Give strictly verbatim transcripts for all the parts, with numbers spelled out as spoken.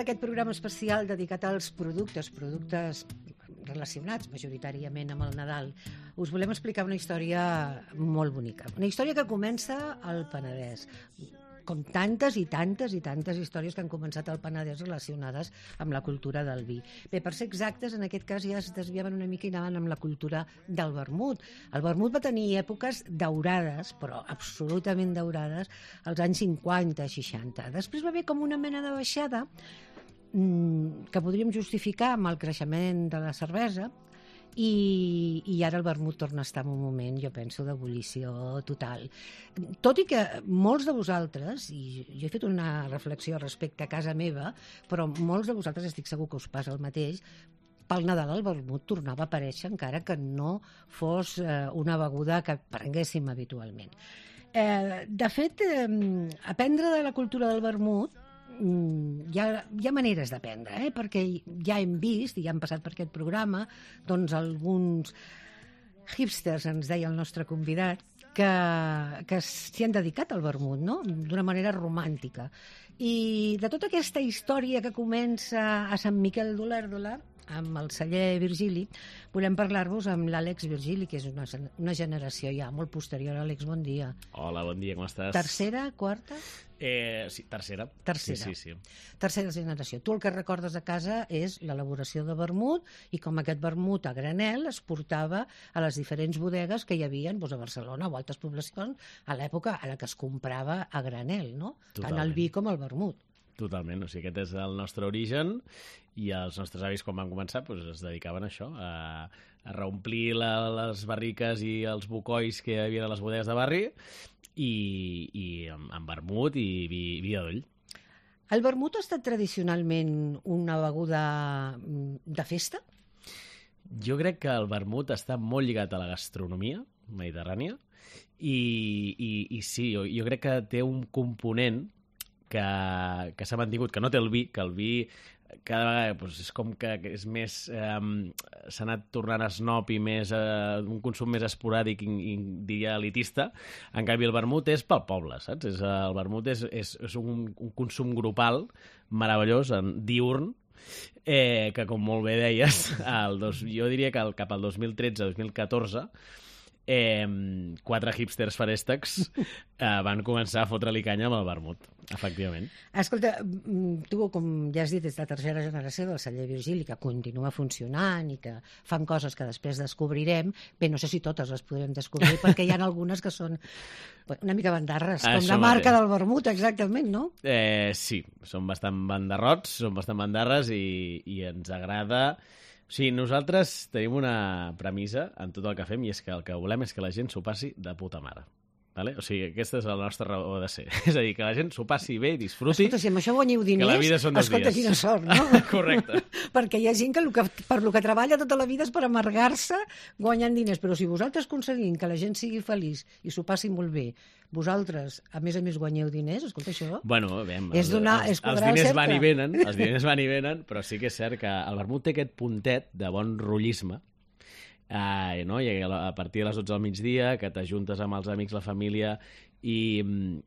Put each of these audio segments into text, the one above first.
d'aquest programa especial dedicat als productes, productes relacionats majoritàriament amb el Nadal, us volem explicar una història molt bonica. Una història que comença al Penedès, com tantes i tantes i tantes històries que han començat al Penedès relacionades amb la cultura del vi. Bé, per ser exactes, en aquest cas ja es desviaven una mica i anaven amb la cultura del vermut. El vermut va tenir èpoques daurades, però absolutament daurades, als anys cinquanta, seixanta. Després va haver com una mena de baixada que podríem justificar amb el creixement de la cervesa, I, i ara el vermut torna a estar en un moment, jo penso, d'ebullició total. Tot i que molts de vosaltres, i jo he fet una reflexió respecte a casa meva, però molts de vosaltres estic segur que us passa el mateix, pel Nadal el vermut tornava a aparèixer encara que no fos eh, una beguda que prenguéssim habitualment. Eh, de fet, eh, aprendre de la cultura del vermut Hi ha, hi ha maneres d'aprendre, eh? Perquè ja hem vist, i ja hem passat per aquest programa, doncs alguns hipsters, ens deia el nostre convidat, que, que s'hi han dedicat al vermut, no? D'una manera romàntica. I de tota aquesta història que comença a Sant Miquel d'Olèrdola, amb el celler Virgili, volem parlar-vos amb l'Àlex Virgili, que és una, una generació ja molt posterior. Àlex, bon dia. Hola, bon dia, com estàs? Tercera, quarta? Eh, sí, tercera. Tercera. Sí, sí, sí. Tercera generació. Tu el que recordes a casa és l'elaboració de vermut i com aquest vermut a granel es portava a les diferents bodegues que hi havia doncs, a Barcelona o altres poblacions a l'època a la que es comprava a granel, no? Totalment. Tant el vi com el vermut. Totalment, o sigui, aquest és el nostre origen i els nostres avis, quan van començar, doncs, es dedicaven a això, a, a reomplir la, les barriques i els bocois que hi havia a les bodegues de barri i, i amb, amb vermut i vi, vi de doll. El vermut ha estat tradicionalment una beguda de festa? Jo crec que el vermut està molt lligat a la gastronomia mediterrània i, i, i sí, jo, jo crec que té un component que, que s'ha mantingut, que no té el vi, que el vi cada vegada doncs, és com que és més eh, s'ha anat tornant snob i més eh, un consum més esporàdic i, i diria elitista. En canvi el vermut és pel poble, saps? És, el vermut és, és, és un, un consum grupal meravellós, diürn, eh, que com molt bé deies, el dos, jo diria que el, cap al dos mil tretze dos mil catorze Eh, quatre hipsters farèstecs eh, van començar a fotre-li canya amb el vermut, efectivament. Escolta, tu, com ja has dit, és la tercera generació del celler Virgili, que continua funcionant i que fan coses que després descobrirem. Bé, no sé si totes les podrem descobrir, perquè hi ha algunes que són una mica bandarres, com Això la marca mateix. del vermut, exactament, no? Eh, sí, són bastant bandarrots, són bastant bandarres i, i ens agrada... O sigui, nosaltres tenim una premissa en tot el que fem i és que el que volem és que la gent s'ho passi de puta mare. Vale? O sigui, aquesta és la nostra raó de ser. És a dir, que la gent s'ho passi bé i disfruti. Escolta, si amb això guanyeu diners, que la vida són dos escolta, dies. quina sort, no? Correcte. Perquè hi ha gent que, el que per lo que treballa tota la vida és per amargar-se guanyant diners. Però si vosaltres aconseguim que la gent sigui feliç i s'ho passi molt bé, vosaltres, a més a més, guanyeu diners, escolta, això... Bueno, bé, és els, donar, els, és els diners van i venen, els diners van i venen, però sí que és cert que el vermut té aquest puntet de bon rotllisme, eh, no? I a partir de les dotze del migdia, que t'ajuntes amb els amics, la família, i,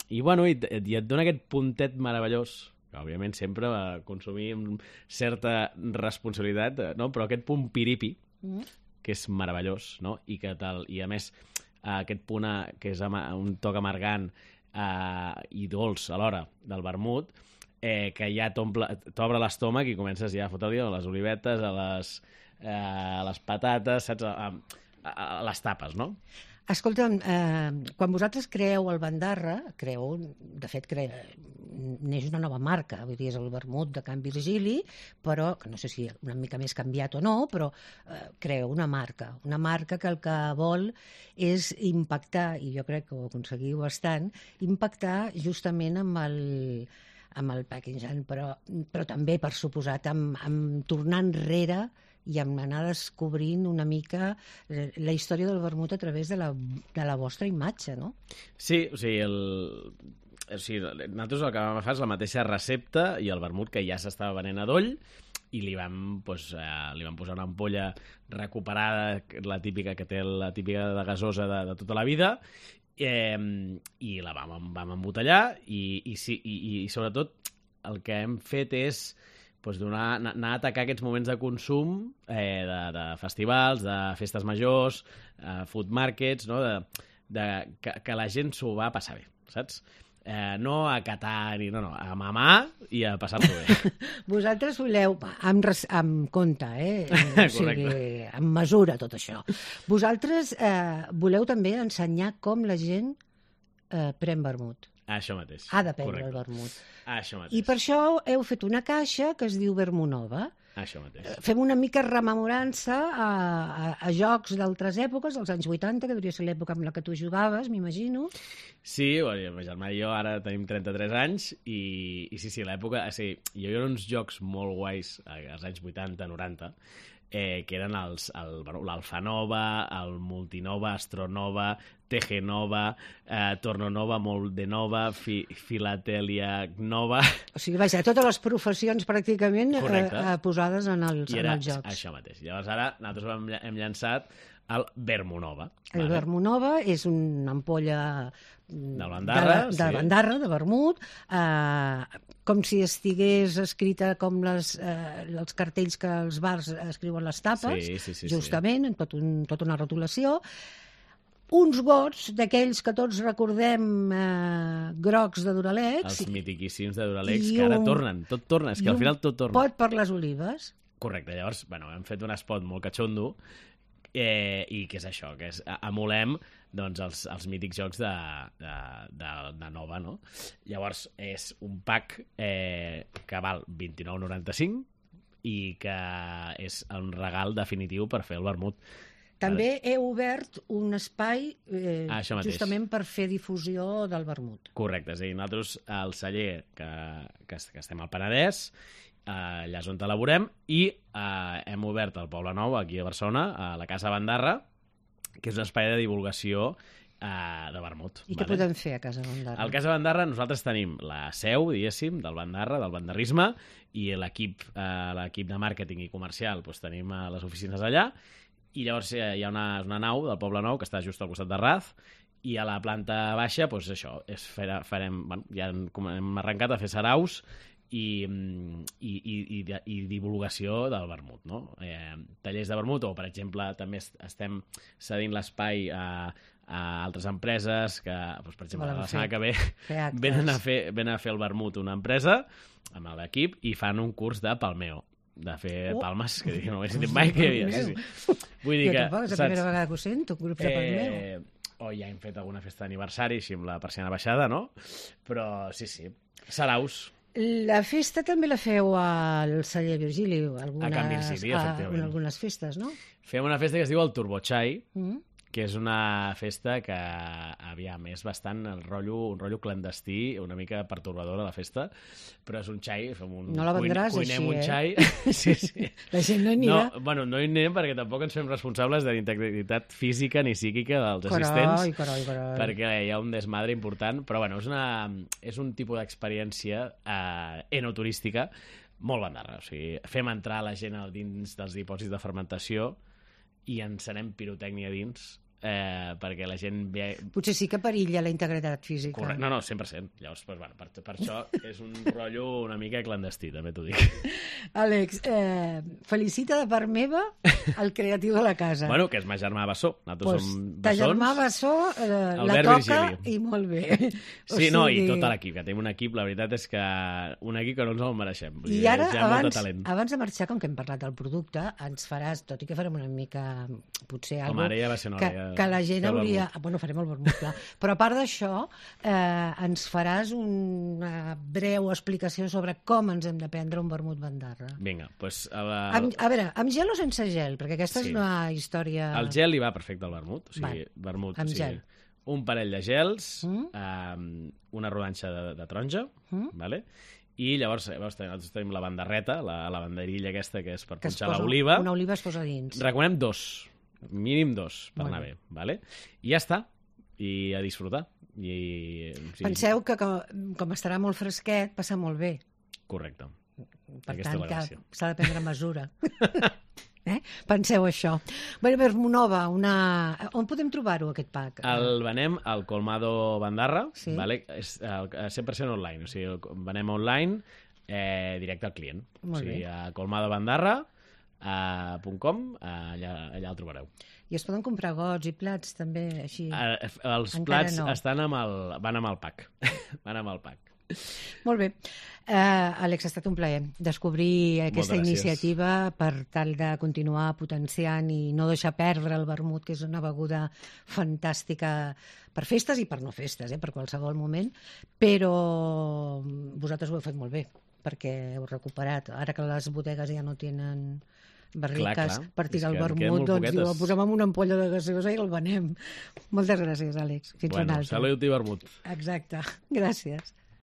i, bueno, i, i et dona aquest puntet meravellós, que òbviament sempre va consumir amb certa responsabilitat, no? Però aquest punt piripi, mm. que és meravellós, no? I, que tal, i a més, aquest punt que és un toc amargant eh, i dolç alhora del vermut, eh, que ja t'obre l'estómac i comences ja a fotre-li a les olivetes, a les, eh, a les patates, saps? A, a, a les tapes, no? Escolta, eh, quan vosaltres creeu el Bandarra, creeu, de fet, cre... neix una nova marca, vull dir, és el vermut de Can Virgili, però, que no sé si una mica més canviat o no, però eh, creeu una marca, una marca que el que vol és impactar, i jo crec que ho aconseguiu bastant, impactar justament amb el, amb el packaging, però, però també, per suposat, amb, amb tornar enrere i amb anar descobrint una mica la història del vermut a través de la, de la vostra imatge, no? Sí, o sigui, el... O sigui, nosaltres el que vam fer és la mateixa recepta i el vermut que ja s'estava venent a doll i li vam, doncs, eh, li vam posar una ampolla recuperada, la típica que té la típica de gasosa de, de tota la vida, eh, i la vam, vam embotellar i, i, sí, i, i sobretot el que hem fet és doncs donar, anar a atacar aquests moments de consum eh, de, de festivals, de festes majors, eh, food markets, no? de, de, que, que la gent s'ho va passar bé, saps? Eh, no a catar, ni, no, no, a mamar i a passar-s'ho bé. Vosaltres voleu, amb, res, amb compte, eh? O sigui, amb mesura, tot això. Vosaltres eh, voleu també ensenyar com la gent eh, pren vermut. Això mateix. Ha de prendre correcte. El vermut. Això mateix. I per això heu fet una caixa que es diu Vermunova. Això mateix. Fem una mica rememorança a, a, a jocs d'altres èpoques, dels anys vuitanta, que hauria ser l'època amb la que tu jugaves, m'imagino. Sí, bueno, ma germà i jo ara tenim trenta-tres anys i, i sí, sí, l'època... Sí, hi havia uns jocs molt guais als anys vuitanta, noranta, eh, que eren els, el, bueno, l'Alfanova, el Multinova, Astronova, Tegenova, eh, Tornonova, Moldenova, fi, Filatèlia Nova... O sigui, vaja, totes les professions pràcticament eh, eh, posades en els, I era en els jocs. Això mateix. Llavors ara nosaltres hem, hem llançat el Vermunova. El vale? Vermunova és una ampolla del Bandarra, de, de sí. Bandarra, de vermut, eh, com si estigués escrita com les, eh, els cartells que els bars escriuen les tapes, sí, sí, sí, justament, sí. en tot un, tota una rotulació. Uns gots d'aquells que tots recordem eh, grocs de Duralex. Els mitiquíssims de Duralex, que ara un, tornen, tot torna, és que al final tot torna. Pot per les olives. Correcte, llavors, bueno, hem fet un spot molt catxondo, eh, i què és això? Que és, emulem doncs, els, els mítics jocs de, de, de, de Nova, no? Llavors, és un pack eh, que val vint-i-nou noranta-cinc i que és un regal definitiu per fer el vermut. També he obert un espai eh, ah, justament per fer difusió del vermut. Correcte, és a dir, nosaltres al celler que, que, que estem al Penedès, eh, allà és on elaborem, i eh, hem obert al Poble Nou, aquí a Barcelona, a la Casa Bandarra, que és un espai de divulgació eh, de vermut. I vale? Què podem fer a Casa Bandarra? Al Casa Bandarra nosaltres tenim la seu, diguéssim, del Bandarra, del bandarrisme, i l'equip eh, l'equip de màrqueting i comercial doncs, tenim a les oficines allà, i llavors hi ha una, una nau del Poble Nou que està just al costat de Raz, i a la planta baixa, doncs això, és fer, farem, bueno, ja hem arrencat a fer saraus i, i, i, i, i divulgació del vermut, no? Eh, tallers de vermut, o per exemple també estem cedint l'espai a, a altres empreses que, doncs, per exemple, la setmana que ve venen a, fer, venen a fer el vermut una empresa amb l'equip i fan un curs de palmeo, de fer oh. palmes, que no ho he sentit mai que hi havia. Sí, sí. Vull dir jo que, tampoc, és la primera vegada que ho sento, grups de palmeo. Eh, o ja hem fet alguna festa d'aniversari, així amb la persiana baixada, no? Però sí, sí, saraus. La festa també la feu al celler Virgili, algunes, a Can Virgili, efectivament. A, algunes festes, no? Fem una festa que es diu el Turbochai, mm. que és una festa que, aviam, és bastant el rotllo, un rotllo clandestí, una mica pertorbadora la festa, però és un xai, fem un... No la vendràs cuinem així, un eh? Xai. Sí, sí. La gent no hi anirà. No, bueno, no hi anem perquè tampoc ens fem responsables de l'integritat física ni psíquica dels carai, assistents, carai, carai. perquè hi ha un desmadre important, però bueno, és, una, és un tipus d'experiència eh, enoturística molt bandarra. O sigui, fem entrar la gent dins dels dipòsits de fermentació i encenem pirotècnia dins, eh, perquè la gent ve... Potser sí que perilla la integritat física. Correcte. No, no, cent per cent. Llavors, pues, bueno, per, per això és un rotllo una mica clandestí, també t'ho dic. Àlex, eh, felicita de part meva el creatiu de la casa. Bueno, que és ma germà Bassó. Nosaltres pues, som ta germà Bassó eh, la toca Virgili. I molt bé. O sí, sigui... no, i tot l'equip, que tenim un equip, la veritat és que un equip que no ens el mereixem. Vull I dir, ara, abans, talent. abans de marxar, com que hem parlat del producte, ens faràs, tot i que farem una mica, potser, Home, algo ara ja va ser que, ja... que la gent hauria... Bueno, farem el vermut, clar. Però a part d'això, eh, ens faràs una breu explicació sobre com ens hem de prendre un vermut bandarra. Vinga, doncs... Pues, a, amb, a veure, amb gel o sense gel? Perquè aquesta sí. és una història... El gel li va perfecte al vermut. O sigui, Va, vermut, amb o sigui, gel. Un parell de gels, mm? eh, una rodanxa de, de taronja, mm? vale? I llavors, llavors nosaltres tenim la bandarreta, la, la banderilla aquesta que és per que punxar l'oliva. Una oliva es posa dins. Recomanem dos, mínim dos, per bueno. anar bé. Vale? I ja està, i a disfrutar. I, sí. Penseu que com, com estarà molt fresquet, passa molt bé. Correcte. Per Aquesta tant, que s'ha de prendre mesura. eh? Penseu això. Bé, Vermunova, una... on podem trobar-ho, aquest pack? El venem al Colmado Bandarra, sí. vale? És el cent per cent online, o sigui, el venem online eh, directe al client. Molt o sigui, bé. a colmadobandarra punt com, allà, allà el trobareu. I es poden comprar gots i plats també així? Eh, els Encara plats no. estan amb el, van amb el pack. van amb el pack. Molt bé. Uh, Àlex, ha estat un plaer descobrir aquesta gràcies. iniciativa per tal de continuar potenciant i no deixar perdre el vermut, que és una beguda fantàstica per festes i per no festes, eh, per qualsevol moment, però vosaltres ho heu fet molt bé, perquè heu recuperat. Ara que les bodegues ja no tenen barriques Clar, clar. per tirar És el que en queden vermut, molt doncs diu, poquetes. el posem en una ampolla de gaseosa i el venem. Moltes gràcies, Àlex. Fins Bueno, una altra. salut i vermut. Exacte. Gràcies.